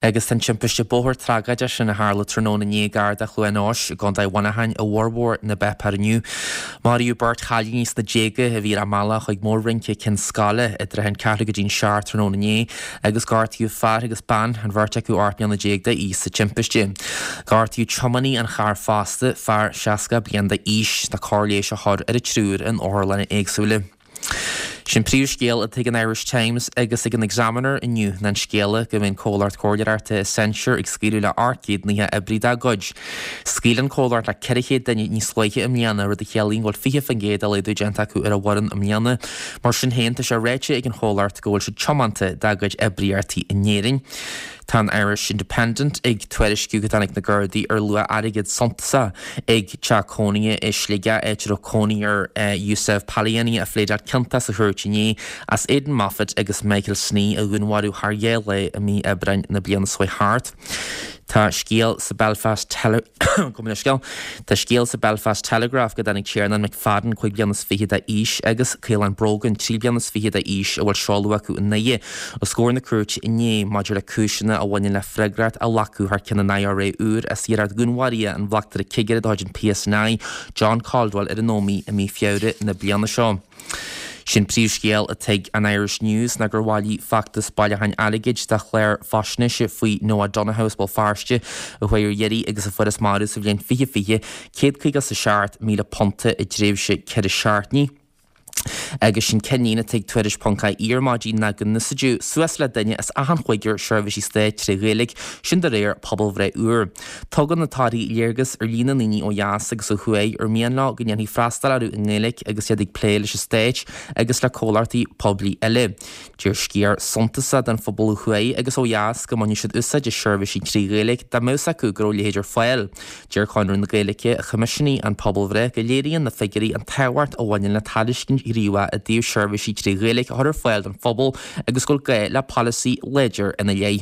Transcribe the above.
Agus tá an timpiste bóthair tragóideach sin a tharla tráthnóna inné gar do Chluain Eois i gContae Mhuineacháin i bhformhór na bpáipéar inniu. Maraíodh beirt chailíní sna déaga a bhí ar a mbealach chuig mór-rince Cionn Scáile i dtrátha an ceathrú go dtí'n seacht tráthnóna inné agus gortaíodh fear agus bean, an bheirt acu 18 mbliana d'aois sa timpiste. Gortaíodh tiománaí an chairr fosta, fear 60 bliain d'aois. Tá cóir leighis á chur ar an triúr in otharlanna éagsúla. Sin príomhscéal atá ag an Irish Times agus ag an Examiner inniu ná an scéala go mbeidh an comhlacht comhairleoireachta Accenture ag scaoileadh le 890 oibrí dá gcuid. Scaoil an comhlacht le 400 duine níos luaithe i mbliana, rud a chiallaíonn go bhfuil 20% de laghdú déanta acu ar a bhfoireann i mbliana. Mar sin féin, tá sé ráite ag an chomhlacht go bhfuil siad tiomanta dá gcuid oibríochtaí in Éirinn. Tá an Irish Independent ag tuairisciú go dtáinig na Gardaí ar luach airgid suntasach ag teach cónaithe i Sligeach, áit a raibh cónaí ar Yousef Paliani a phléadáil ciontach sa chúirt inné as Aidan Moffitt agus Michael Snee a dhúnmharú thar dhá lá i mí Aibreáin na bliana seo thart. Tá scéal sa Belfast Tele Gabh mo leithscéal. Tá scéal sa Belfast Telegraph go dtáinig Tiarnán McFadden, 25 bliana d'aois, agus Caolán Brogan, 23 bliana d'aois, a bhfuil seoladh acu i nDoire, os comhair na cúirte inné maidir le cúiseanna a bhaineann le freagracht a ghlacadh thar ceann an IRA úr as iarracht dhúnmharaithe an bhleachtaire cigire de chuid an PSNI, John Caldwell ar an Ómaigh i mí Feabhra na bliana seo. Sin príomhscéal atá ag an Irish News ná gur bhailigh feachtas bailiúcháin airgid do chlár faisnéise faoi Noah Donohoe as Béal Feirste a chuaigh ar iarraidh agus a fuarthas marbh sa bhliain 2020, £157,000 i dtréimhse 4 seachtainí. Agus sin ceannlíne atá ag Tuairisc ponc ie ar maidin ná go n-úsáideadh suas le duine as achan chúigear seirbhísí stáit tré Ghaeilge, sin de réir pobalbhreith úr. Tugann na torthaí léargas ar líon na ndaoine ó dheas agus ó thuaidh ar mian leo go ndéanfaí freastal orthu i nGaeilge agus iad ag plé leis an stát agus le comhlachtaí poiblí eile. Deir sciar suntasach den phobal ó thuaidh agus ó dheas go mbainfeadh siad úsáid as seirbhísí trí Ghaeilge dá mbeadh 's acu go raibh a leithéid ar fáil. Deir Conradh na Gaeilge, a choimisiúnaigh an pobalbhreith, go léiríonn na figiúirí an tábhacht a bhaineann le tairiscint ghníomhach i dtaobh seirbhísí trí Ghaeilge a chur ar fáil don phobal agus go bhfuil gá le polasaí láidir ina leith.